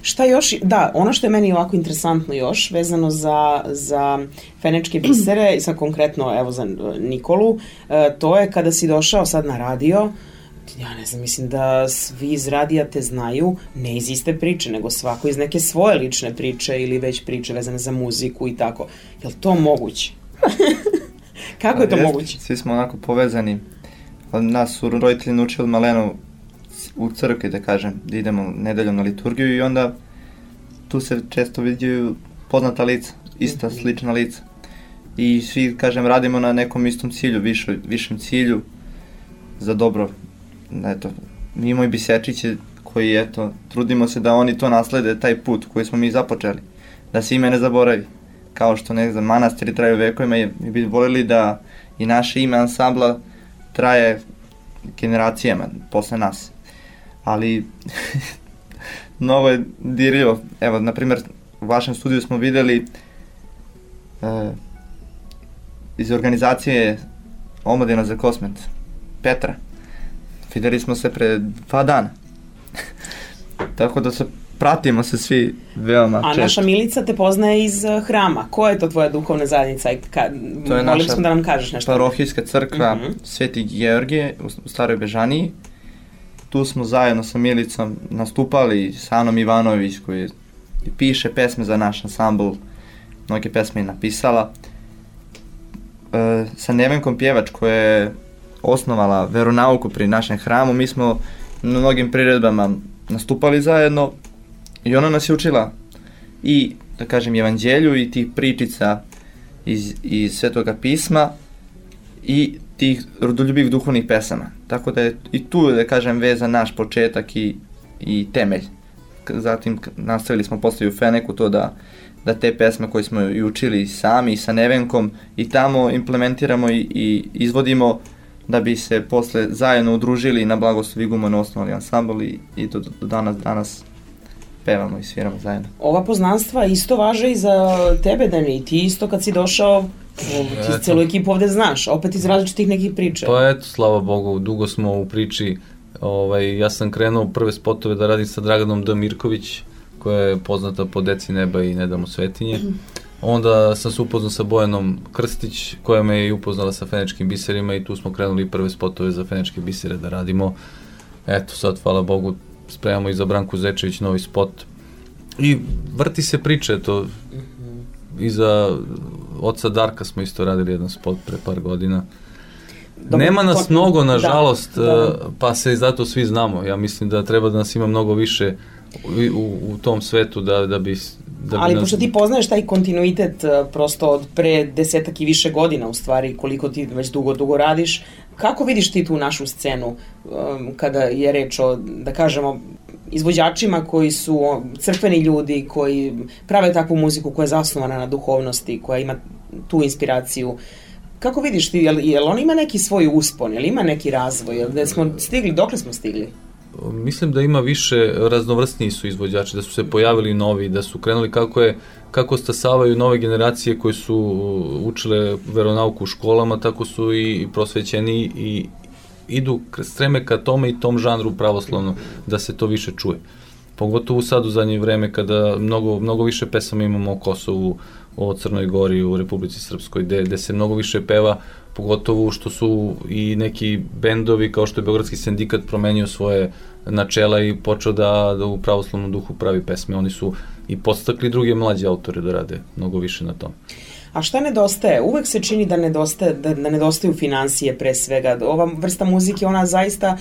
Šta još, da, ono što je meni ovako interesantno još, vezano za, za Fenečke bisere, i sad konkretno, evo, za Nikolu, e, to je kada si došao sad na radio, ja ne znam, mislim da svi iz radija te znaju, ne iz iste priče, nego svako iz neke svoje lične priče ili već priče vezane za muziku i tako. Je li to moguće? Kako je to jest, moguće? Svi smo onako povezani. Nas su roditelji naučili maleno u crkvi, da kažem, da idemo nedeljom na liturgiju i onda tu se često viđaju poznata lica, ista, slična lica. I svi, kažem, radimo na nekom istom cilju, višoj, višem cilju za dobro. Eto, mi imamo i bisečiće koji, eto, trudimo se da oni to naslede, taj put koji smo mi započeli, da se ime ne zaboravi. Kao što, ne znam, manastiri traju vekovima i mi bi voljeli da i naše ime ansambla traje generacijama posle nas. Ali novo je dirljivo. Evo, na primjer, u vašem studiju smo videli e, iz organizacije Omladina za Kosmet, Petra. Videli smo se pre dva dana. tako da se pratimo se svi veoma često. A naša Milica te poznaje iz uh, hrama. Ko je to tvoja duhovna zajednica? Ka, to je naša da nam kažeš nešto. parohijska crkva uh-huh. Sveti Georgije u, u Staroj Bežaniji. Tu smo zajedno sa Milicom nastupali, sa Anom Ivanović koji piše pesme za naš ansambl, mnoge pesme je napisala. E, sa Nevenkom Pjevač koja je osnovala veronauku pri našem hramu, mi smo na mnogim priredbama nastupali zajedno i ona nas je učila i, da kažem, evanđelju i tih pričica iz, iz Svetoga pisma i tih rodoljubivih duhovnih pesama. Tako da je i tu, da kažem, vezan naš početak i, i temelj. Zatim nastavili smo posle u Feneku to da, da te pesme koje smo i učili sami i sa Nevenkom i tamo implementiramo i, i izvodimo da bi se posle zajedno udružili na blagoslov Igumana osnovali ansambl i, i do, do danas, danas pevamo i sviramo zajedno. Ova poznanstva isto važe i za tebe, Dani, i ti isto kad si došao, ti celu ekipu ovde znaš, opet iz različitih nekih priča. Pa eto, slava Bogu, dugo smo u priči. Ovaj, ja sam krenuo prve spotove da radim sa Draganom D. Mirković, koja je poznata po Deci neba i Ne damo svetinje. Onda sam se upoznao sa Bojanom Krstić, koja me je upoznala sa Fenečkim biserima i tu smo krenuli prve spotove za Fenečke bisere da radimo. Eto, sad, hvala Bogu, spremamo i za Branku Zečević novi spot. I vrti se priče, eto, i za oca Darka smo isto radili jedan spot pre par godina. Dobro, nema nas to, mnogo, nažalost, da, da. Pa se zato svi znamo. Ja mislim da treba da nas ima mnogo više u, u, u tom svetu da, da bi... Da ali bi pošto nas... ti poznaješ taj kontinuitet prosto od pre desetak i više godina u stvari, koliko ti već dugo, dugo radiš, kako vidiš ti tu našu scenu um, kada je reč o, da kažemo, izvođačima koji su crkveni ljudi, koji prave takvu muziku koja je zasnovana na duhovnosti, koja ima tu inspiraciju? Kako vidiš ti, jel, jel on ima neki svoj uspon, jel ima neki razvoj, jel da smo stigli, dokle smo stigli? Mislim da ima više, raznovrstniji su izvođači, da su se pojavili novi, da su krenuli kako je, kako stasavaju nove generacije koje su učile veronauku u školama, tako su i prosvećeni i idu, streme ka tome i tom žanru pravoslavno, da se to više čuje. Pogotovo sad u zadnje vreme kada mnogo, mnogo više pesama imamo o Kosovu, o Crnoj Gori, u Republici Srpskoj, gde, gde se mnogo više peva, pogotovo što su i neki bendovi kao što je Beogradski sindikat promenio svoje načela i počeo da, da u pravoslavnom duhu pravi pesme. Oni su i podstakli druge mlađe autore da rade mnogo više na tom. A šta nedostaje? Uvek se čini da nedostaje, da, da nedostaju finansije pre svega. Ova vrsta muzike, ona zaista,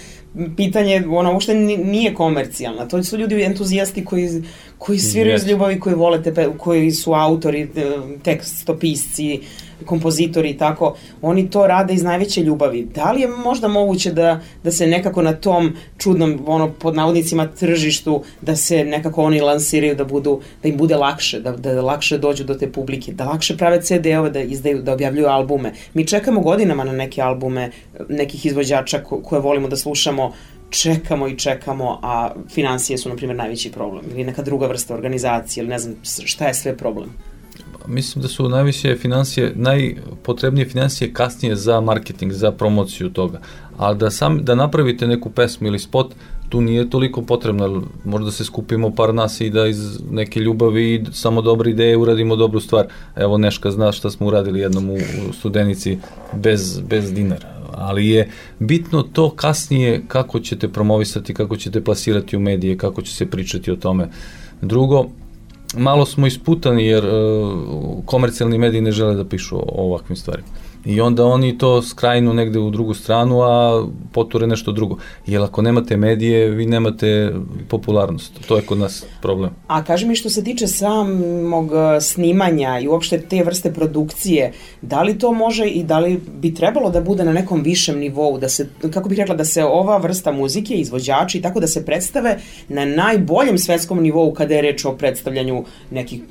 pitanje, ona uopšte nije komercijalna. To su ljudi entuzijasti koji, koji sviraju iz ljubavi, koji vole te, koji su autori, tekstopisci, kompozitori i tako. Oni to rade iz najveće ljubavi. Da li je možda moguće da, da se nekako na tom čudnom, ono, pod navodnicima tržištu, da se nekako oni lansiraju, da budu, da im bude lakše, da, da lakše dođu do te publike, da lakše prave ce de ove, da izdaju, da objavljuju albume. Mi čekamo godinama na neke albume nekih izvođača ko, koje volimo da slušamo, čekamo i čekamo, a finansije su, na primjer, najveći problem. Ili neka druga vrsta organizacije, ili ne znam šta je sve problem. Mislim da su najviše financije, najpotrebnije financije kasnije za marketing, za promociju toga. A da, sam, da napravite neku pesmu ili spot, tu nije toliko potrebno. Možda se skupimo par nas i da iz neke ljubavi i samo dobre ideje uradimo dobru stvar. Evo, Neška zna šta smo uradili jednom u, u Studenici bez, bez dinara. Ali je bitno to kasnije kako ćete promovisati, kako ćete plasirati u medije, kako će se pričati o tome. Drugo, malo smo isputani jer uh, komercijalni mediji ne žele da pišu o, o ovakvim stvarima. I onda oni to skrajnu negde u drugu stranu, a poture nešto drugo. Jer ako nemate medije, vi nemate popularnost. To je kod nas problem. A kaži mi, što se tiče samog snimanja i uopšte te vrste produkcije, da li to može i da li bi trebalo da bude na nekom višem nivou, da se, kako bih rekla, da se ova vrsta muzike, izvođači, tako da se predstave na najboljem svetskom nivou kada je reč o predstavljanju nekih,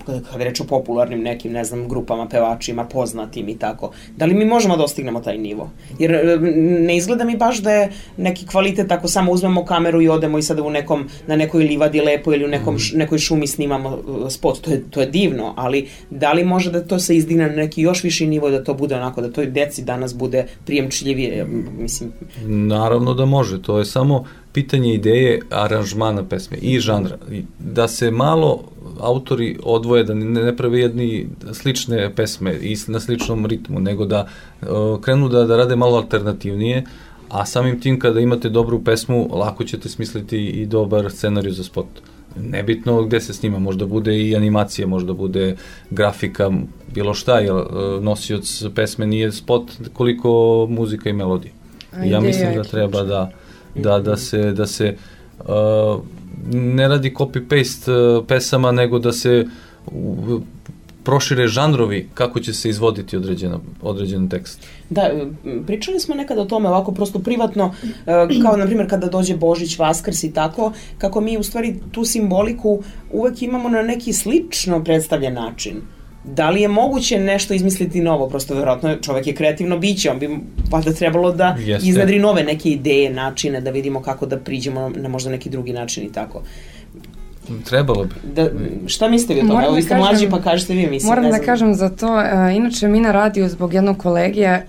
kada je reč o popularnim nekim, ne znam, grupama, pevačima, poznatim i tako. Da li mi možemo da dostignemo taj nivo? Jer ne izgleda mi baš da je neki kvalitet ako samo uzmemo kameru i odemo i sada u nekom, na nekoj livadi lepo ili u nekom, š, nekoj šumi snimamo spot. To je, to je divno, ali da li može da to se izdigne na neki još viši nivo, da to bude onako, da toj deci danas bude prijemčljivije, mislim? Naravno da može, to je samo pitanje ideje aranžmana pesme i žanra. Da se malo autori odvoje, da ne, ne prave jedni slične pesme i na sličnom ritmu, nego da uh, krenu da, da rade malo alternativnije, a samim tim kada imate dobru pesmu, lako ćete smisliti i dobar scenarij za spot. Nebitno gde se snima, možda bude i animacija, možda bude grafika, bilo šta, jer nosioc pesme nije spot koliko muzika i melodija. I ja mislim da treba da, da, da se, da se uh, ne radi copy-paste uh, pesama, nego da se uh, prošire žanrovi kako će se izvoditi određena, određen tekst. Da, pričali smo nekada o tome ovako prosto privatno, kao na primjer kada dođe Božić, Vaskrs i tako, kako mi u stvari tu simboliku uvek imamo na neki slično predstavljen način. Da li je moguće nešto izmisliti novo? Prosto verovatno čovek je kreativno biće, on bi valjda trebalo da Jeste. iznedri nove neke ideje, načine, da vidimo kako da priđemo na možda neki drugi način i tako. Trebalo bi. Da, šta mislite vi o tome? Evo, vi ste kažem, mlađi, pa kažete vi, mislim. Moram da kažem za to, uh, inače mi na radiju zbog jednog kolegije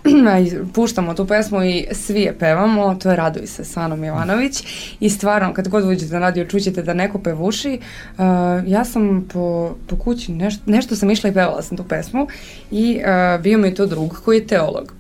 puštamo tu pesmu i svi je pevamo, to je Raduj se s Anom Jovanović i stvarno, kad god uđete na radio čućete da neko pevuši, uh, ja sam po, po kući, nešto, nešto sam išla i pevala sam tu pesmu i uh, bio mi to drug koji je teolog.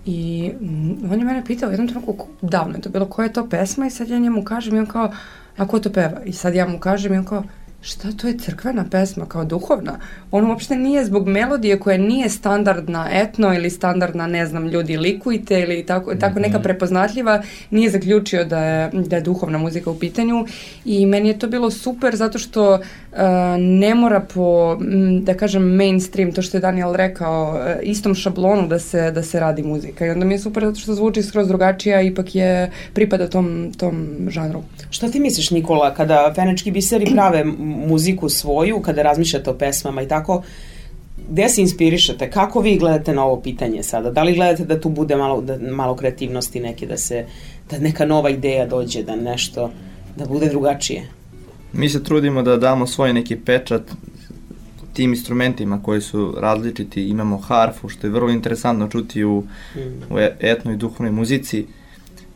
I mm, on je mene pitao jednom trenutku, davno je to bilo, koja je to pesma i sad ja njemu kažem i on kao, a ko to peva? I sad ja mu kažem i on kao, šta to je crkvena pesma, kao duhovna? On uopšte nije zbog melodije koja nije standardna etno ili standardna, ne znam, ljudi likujte ili tako, tako neka prepoznatljiva, nije zaključio da je, da je duhovna muzika u pitanju i meni je to bilo super zato što uh, ne mora po, da kažem, mainstream, to što je Daniel rekao, uh, istom šablonu da se, da se radi muzika i onda mi je super zato što zvuči skroz drugačija, ipak je pripada tom, tom žanru. Šta ti misliš, Nikola, kada Fenečki biseri prave muziku svoju, kada razmišljate o pesmama i tako, gde se inspirišete? Kako vi gledate na ovo pitanje sada? Da li gledate da tu bude malo, da, malo kreativnosti neke, da se, da neka nova ideja dođe, da nešto, da bude drugačije? Mi se trudimo da damo svoj neki pečat tim instrumentima koji su različiti. Imamo harfu, što je vrlo interesantno čuti u, mm. u etnoj i duhovnoj muzici.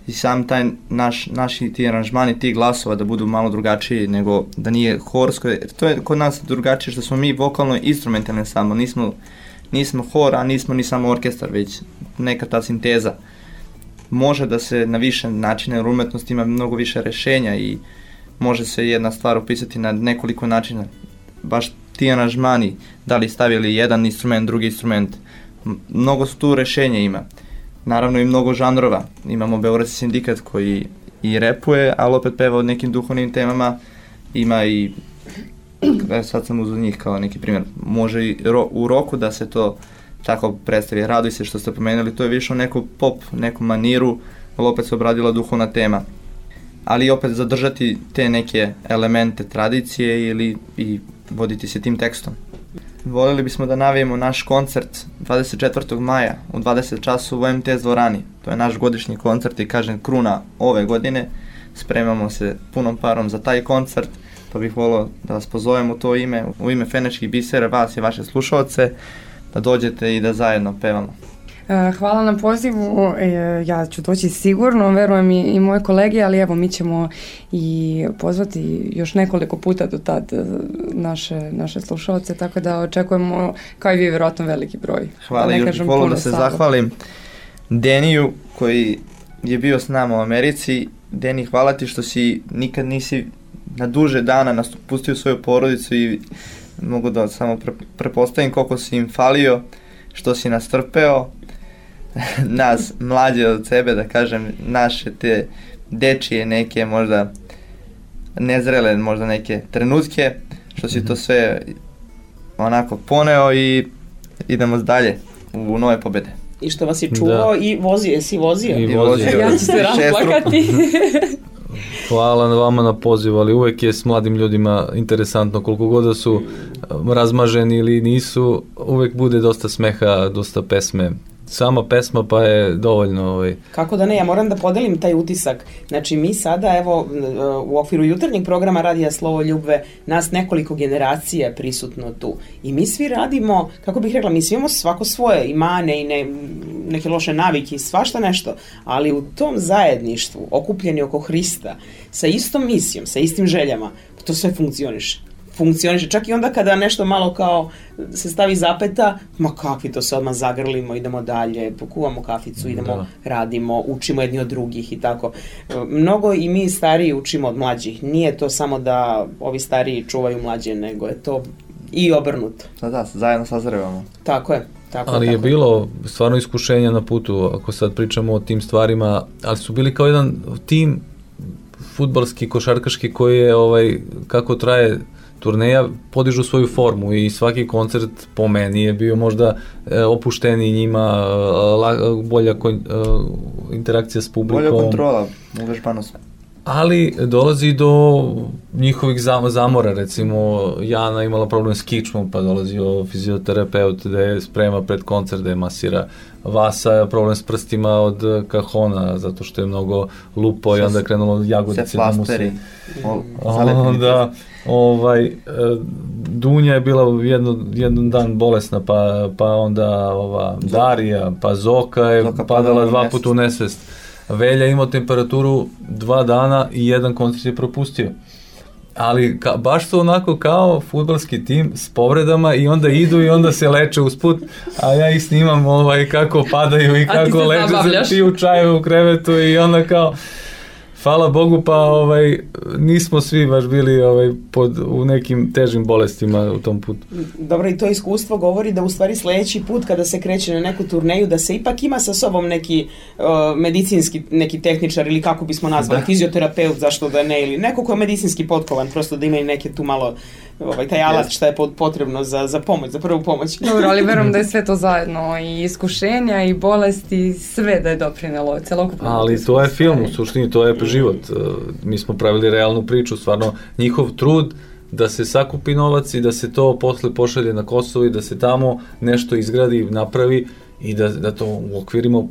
I sam taj naš, naši ti aranžmani, ti glasova da budu malo drugačiji nego da nije horsko. To je kod nas drugačije što smo mi vokalno instrumentalni samo. Nismo, nismo hor, a nismo ni samo orkestar, već neka ta sinteza. Može da se na više načine, jer umetnost ima mnogo više rešenja i može se jedna stvar opisati na nekoliko načina. Baš ti aranžmani, da li stavili jedan instrument, drugi instrument, mnogo su tu rešenja ima. Naravno i mnogo žanrova. Imamo Beogradski sindikat koji i repuje, ali opet peva o nekim duhovnim temama. Ima i, sad sam uzeo njih kao neki primjer, može i ro, u roku da se to tako predstavi. Raduj se što ste pomenuli, to je više o neku pop, neku maniru, ali opet se obradila duhovna tema. Ali opet zadržati te neke elemente tradicije ili i voditi se tim tekstom. Voljeli bismo da navijemo naš koncert dvadeset četvrtog maja u dvadeset časova u em te es dvorani. To je naš godišnji koncert i kažem kruna ove godine. Spremamo se punom parom za taj koncert, pa bih volio da vas pozovem u to ime, u ime Fenečkih bisera, vas i vaše slušaoce, da dođete i da zajedno pevamo. Hvala na pozivu, ja ću doći sigurno, verujem i, i moje kolege, ali evo mi ćemo i pozvati još nekoliko puta do tad naše, naše slušalce, tako da očekujemo kao i vi vjerojatno veliki broj. Hvala, da još bih volio da se salo. zahvalim Deniju koji je bio s nama u Americi. Deni, hvala ti što si nikad nisi na duže dana pustio svoju porodicu i mogu da samo pre, prepostavim koliko si im falio, što si nas trpeo. Nas mlađe od sebe, da kažem, naše te dečije neke možda nezrele možda neke trenutke, što si to sve onako poneo i idemo dalje u nove pobede. I što vas je čuvao da. i vozio, jesi vozio? I vozio. Ja ću se rasplakati. Hvala vama na pozivu, ali uvek je s mladim ljudima interesantno, koliko god da su razmaženi ili nisu, uvek bude dosta smeha, dosta pesme. Sama pesma pa je dovoljno. Ovaj. Kako da ne, ja moram da podelim taj utisak. Znači mi sada, evo, u okviru jutarnjeg programa Radija Slovo Ljubve, nas nekoliko generacija prisutno tu. I mi svi radimo, kako bih rekla, mi svi imamo svako svoje i mane i ne, neke loše navike i svašta nešto, ali u tom zajedništvu, okupljeni oko Hrista, sa istom misijom, sa istim željama, to sve funkcioniše. Funkcioniše. Čak i onda kada nešto malo kao se stavi zapeta, ma kakvi to se odmah zagrlimo, idemo dalje, pokuvamo kaficu, idemo, da. radimo, učimo jedni od drugih i tako. Mnogo i mi stariji učimo od mlađih. Nije to samo da ovi stariji čuvaju mlađe, nego je to i obrnuto. Da, da, zajedno sazrevamo. Tako je. Tako, ali tako. je bilo stvarno iskušenja na putu, ako sad pričamo o tim stvarima, ali su bili kao jedan tim fudbalski, košarkaški koji je, ovaj, kako traje turneja, podižu svoju formu i svaki koncert po meni je bio možda e, opušteniji njima, la, bolja kon, e, interakcija s publikom. Bolja kontrola, uvežbanost. Ali dolazi do njihovih zamora, recimo Jana imala problem s kičmom, pa dolazio fizioterapeut da je sprema pred koncert, da je masira. Vasa problem s prstima od kahona, zato što je mnogo lupo i onda je krenulo jagodice da mu se... Onda, ovaj, Dunja je bila jedno, jedan dan bolesna, pa, pa onda ova Darija, pa Zoka je Zoka padala dva puta u nesvest. Velja imao temperaturu dva dana i jedan koncert je propustio. Ali ka, baš su onako kao fudbalski tim s povredama i onda idu i onda se leče usput, a ja ih snimam ovaj, kako padaju i kako leče, piju čaju u krevetu i onda kao... Hvala Bogu, pa ovaj, nismo svi baš bili ovaj, pod, u nekim težim bolestima u tom putu. Dobro, i to iskustvo govori da u stvari sledeći put kada se kreće na neku turneju, da se ipak ima sa sobom neki uh, medicinski, neki tehničar ili kako bismo nazvali, da. Fizioterapeut, zašto da ne, ili neko ko je medicinski potkovan, prosto da ima i neke tu malo ovaj, taj alat šta je potrebno za, za pomoć, za prvu pomoć. Dobro, ali verujem da je sve to zajedno, i iskušenja, i bolesti, sve da je doprinelo celokupno. Ali to je film, u suštini, to je život. Mi smo pravili realnu priču, stvarno njihov trud da se sakupi novac i da se to posle pošalje na Kosovo i da se tamo nešto izgradi, napravi i da, da to uokvirimo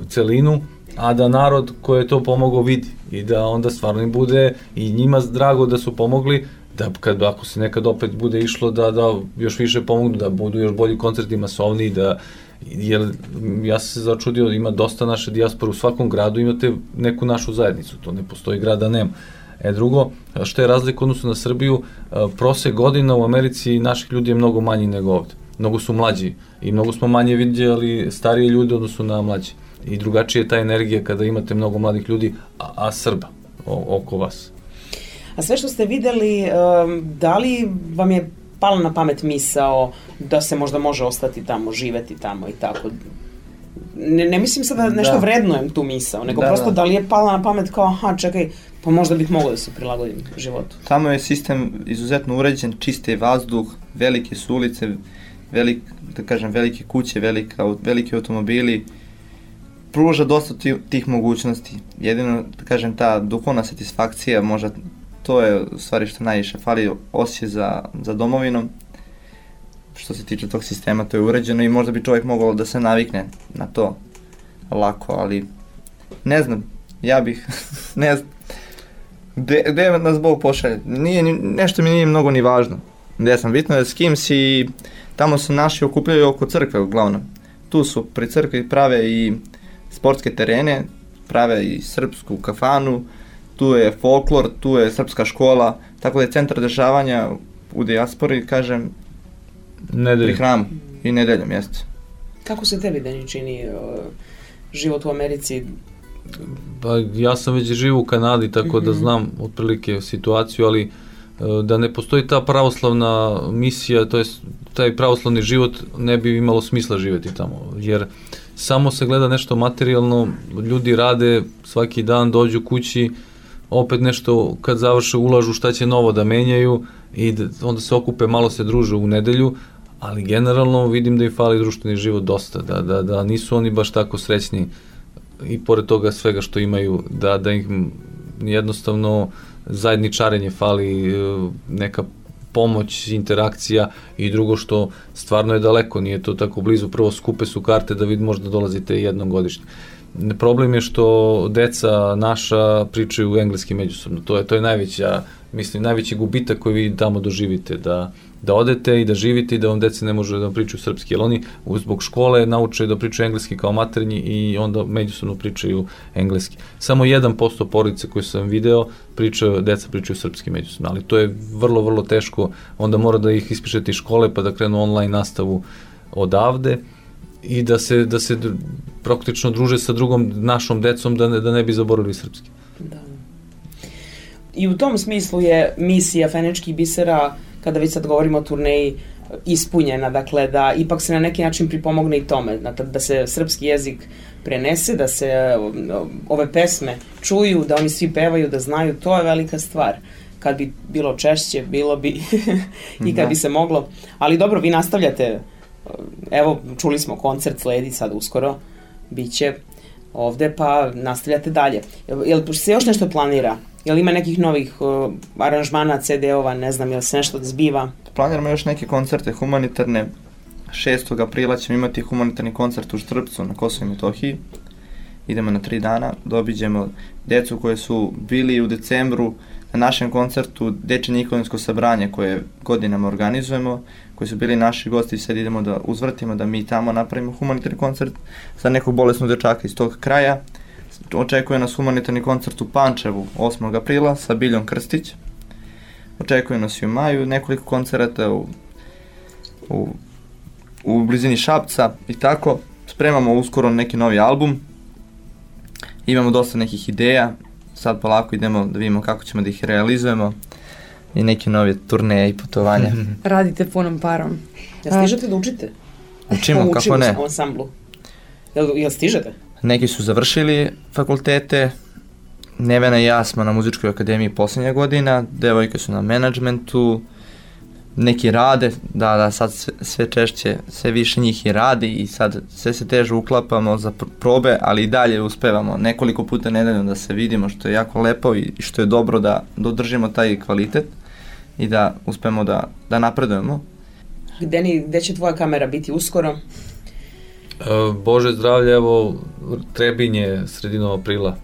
celinu, a da narod koji je to pomogao vidi i da onda stvarno im bude i njima drago da su pomogli, da kad, ako se nekad opet bude išlo da, da još više pomognu, da budu još bolji koncerti masovni, da jer ja sam se začudio, ima dosta naše dijaspore, u svakom gradu imate neku našu zajednicu, to ne postoji grad da nema. E drugo, što je razlika odnosno na Srbiju, prosek godina u Americi naših ljudi je mnogo manji nego ovde, mnogo su mlađi i mnogo smo manje vidjeli starije ljude odnosno na mlađi i drugačije je ta energija kada imate mnogo mladih ljudi, a, a Srba o, oko vas. A sve što ste videli, da li vam je pala na pamet misao da se možda može ostati tamo, živeti tamo i tako? Ne, ne mislim sad da nešto da. vrednujem tu misao, nego da, prosto da. da li je pala na pamet kao, aha, čekaj, pa možda bih mogao da se prilagodim životu. Tamo je sistem izuzetno uređen, čiste vazduh, velike su ulice, velik, da kažem, velike kuće, velika, veliki automobili, pruža dosta tih mogućnosti. Jedino, da kažem, ta duhovna satisfakcija, možda to je u stvari što najviše fali, osjećaj za, za domovinom. Što se tiče tog sistema, to je uređeno i možda bi čovjek mogao da se navikne na to lako, ali ne znam, ja bih, ne znam, gde, gde nas Bog pošalje, nije, nešto mi nije mnogo ni važno, gde sam, bitno je s kim si, tamo se naši okupljaju oko crkve uglavnom, tu su pri crkvi prave i sportske terene, prave i srpsku kafanu, tu je folklor, tu je srpska škola, tako da je centar dešavanja u dijaspori, kažem, nedeljom. Pri hramu i nedeljom, jeste. Kako se tebi, Deni, čini uh, život u Americi? Pa ja sam već živo u Kanadi, tako mm-hmm. da znam otprilike situaciju, ali uh, da ne postoji ta pravoslavna misija, to jest taj pravoslavni život ne bi imalo smisla živjeti tamo, jer samo se gleda nešto materijalno, ljudi rade svaki dan, dođu kući, opet nešto kad završe ulažu šta će novo da menjaju i da, onda se okupe, malo se druže u nedelju, ali generalno vidim da im fali društveni život dosta, da, da, da nisu oni baš tako srećni i pored toga svega što imaju, da, da im jednostavno zajedničarenje fali, neka pomoć, interakcija i drugo što stvarno je daleko, nije to tako blizu, prvo skupe su karte da vid možda dolazite jednom godišnje. Problem je što deca naša pričaju engleski međusobno, to je, to je najveća, mislim, najveći gubitak koji vi tamo doživite, da da odete i da živite i da vam dece ne može da vam pričaju srpski, jer oni zbog škole nauče da pričaju engleski kao maternji i onda međusobno pričaju engleski. Samo jedan posto porodice koje sam video pričaju, deca pričaju srpski međusobno, ali to je vrlo, vrlo teško, onda mora da ih ispišete iz škole pa da krenu online nastavu odavde i da se, da se praktično druže sa drugom našom decom da ne, da ne bi zaboravili srpski. Da. I u tom smislu je misija Fenečkih bisera, kada već sad govorimo o turneji, ispunjena, dakle da ipak se na neki način pripomogne i tome, da se srpski jezik prenese, da se ove pesme čuju, da oni svi pevaju, da znaju, to je velika stvar. Kad bi bilo češće, bilo bi i kad bi se moglo. Ali dobro, vi nastavljate, evo, čuli smo, koncert sledi sad uskoro, bit će ovde, pa nastavljate dalje. Jel se još nešto planira? Jel ima nekih novih uh, aranžmana, ce de-ova, ne znam, jel se nešto zbiva? Planiramo još neke koncerte humanitarne. šestog aprila ćemo imati humanitarni koncert u Štrpcu na Kosovo i Metohiji. Idemo na tri dana, dobiđemo decu koje su bili u decembru na našem koncertu Dečje Nikolinsko sabranje koje godinama organizujemo, koji su bili naši gosti i sad idemo da uzvrtimo, da mi tamo napravimo humanitarni koncert za nekog bolesnog dečaka iz tog kraja. Očekuje nas humanitarni koncert u Pančevu osmog aprila sa Biljom Krstić. Očekuje nas i u maju nekoliko koncerata u, u, u blizini Šapca i tako. Spremamo uskoro neki novi album. Imamo dosta nekih ideja. Sad polako idemo da vidimo kako ćemo da ih realizujemo i neke nove turneje i putovanja. Radite punom parom. Jel stižete da učite? Učimo, kako ne. Učimo u ansamblu. Jel, jel stižete? Neki su završili fakultete, Nevena i ja smo na muzičkoj akademiji posljednja godina, devojke su na menadžmentu, neki rade, da, da, sad sve, sve češće, sve više njih i radi i sad sve se teže uklapamo za probe, ali i dalje uspevamo nekoliko puta nedeljno da se vidimo, što je jako lepo i što je dobro da dodržimo taj kvalitet i da uspemo da, da napredujemo. Deni, gde će tvoja kamera biti uskoro? Bože zdravlje, evo Trebinje sredinom aprila,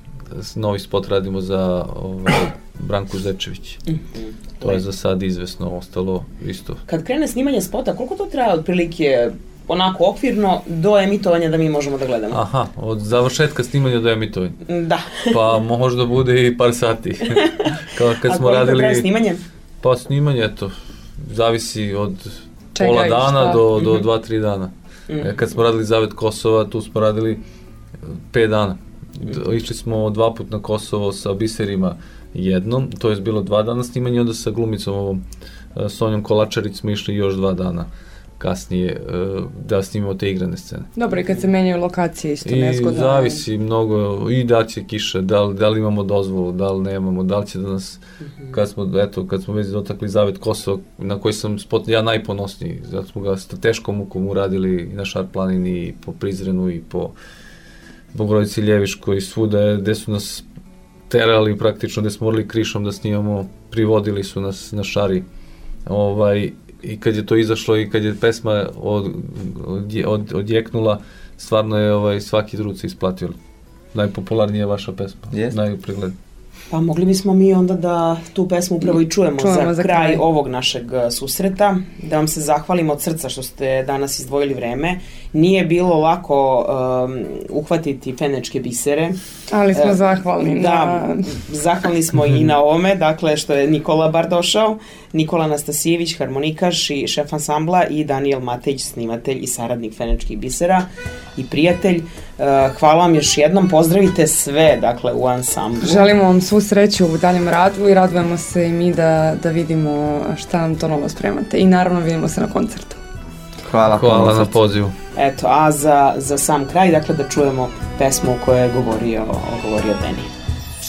novi spot radimo za ovaj, Branku Zečević. To je za sad izvesno, ostalo isto. Kad krene snimanje spota, koliko to traje otprilike onako okvirno do emitovanja da mi možemo da gledamo? Aha, od završetka snimanja do emitovanja. Da. Pa možda bude i par sati. Kao kad A smo koliko radili, traje snimanje? Pa snimanje, eto, zavisi od Čega pola dana šta? do, do Mm-hmm. dva, tri dana. Mm-hmm. Kad smo radili Zavet Kosova, tu smo radili pet dana. Išli smo dva put na Kosovo sa biserima jednom, to je bilo dva dana snimanja, onda sa glumicom ovom Sonjom Kolačarić smo išli još dva dana kasnije da snimimo te igrane scene. Dobro, i kad se menjaju lokacije isto I nezgodno. zavisi mnogo, i da će kiša, da li, da li imamo dozvolu, da li nemamo, da li će da nas, kad smo, eto, kad smo već dotakli Zavet Kosova, na koji sam spot, ja najponosniji, zato smo ga sa teškom mukom uradili i na Šar planini, i po Prizrenu, i po Bogorodici Ljeviškoj, svuda, gde su nas terali praktično, gde smo morali krišom da snimamo, privodili su nas na Šari. Ovaj, i kad je to izašlo i kad je pesma od, od, od, odjeknula, stvarno je ovaj, svaki trud se isplatio. Najpopularnija je vaša pesma, Yes. najpreglednija. Pa mogli bismo mi onda da tu pesmu upravo i čujemo, Čujemo za, za kraj, kraj ovog našeg susreta, da vam se zahvalimo od srca što ste danas izdvojili vreme. Nije bilo lako um, uhvatiti Fenečke bisere. Ali smo E, zahvalni. Da, na... zahvalni smo i na ovome, dakle što je Nikola bar došao, Nikola Nastasijević, harmonikaš i šef ansambla, i Danijel Matejić, snimatelj i saradnik Fenečkih bisera i prijatelj. Uh, hvala vam još jednom, pozdravite sve, dakle, u ansamblu. Želimo vam svu sreću u daljem radu i radujemo se i mi da, da vidimo šta nam to novo spremate. I naravno vidimo se na koncertu. Hvala, Hvala na pozivu. Eto, a za, za sam kraj, dakle, da čujemo pesmu u kojoj je govorio, govorio Deni.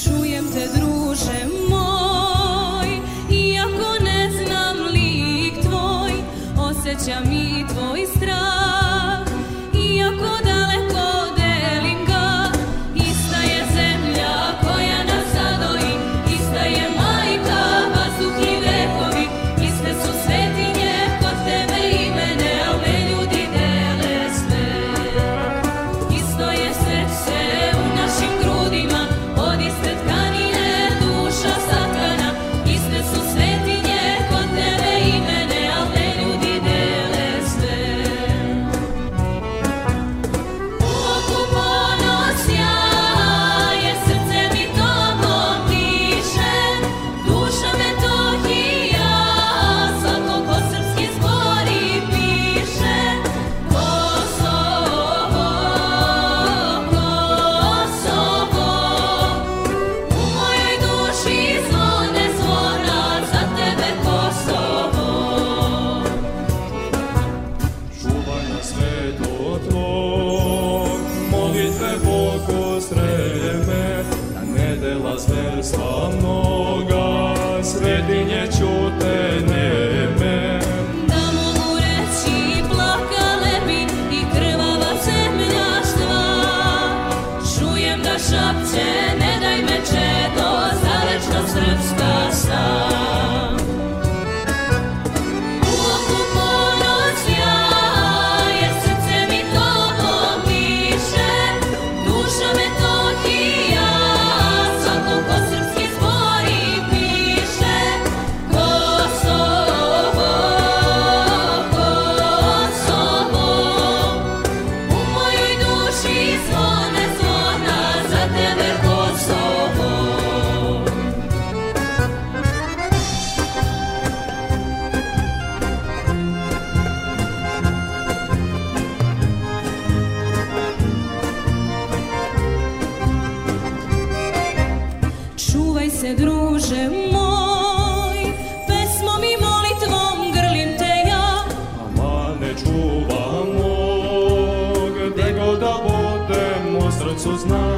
Čujem te, druže moj, iako ne znam lik tvoj, osjećam i tvoj strah, iako daleko delim ga, ista je zemlja koja nas zadoji, ista je majka, vazduh i vekovi, iste su svetinje kod tebe i mene, al me ljudi dele sve. Isto je srce u našim grudima, od iste tkanine duša satkana, iste su svetinje kod tebe i mene, al me duboko streme, a nedela zverstva mnoga, svetinje ćute njeme. Da mogu reći plakale bi i krvava zemlja štva, čujem da šapće ne daj me čedo, za večno srpska sam. U oku ponoć jaje, srce mi tobom diše, duša Metohija, svako ko srpski zbori piše. Kosovo, Kosovo, u mojoj duši zvone zvona, za tebe Kosovo. Čuvaj se, druže moj, pesmom i molitvom grlim te ja. Ama ne čuva mog, gde god da budem u srcu znam.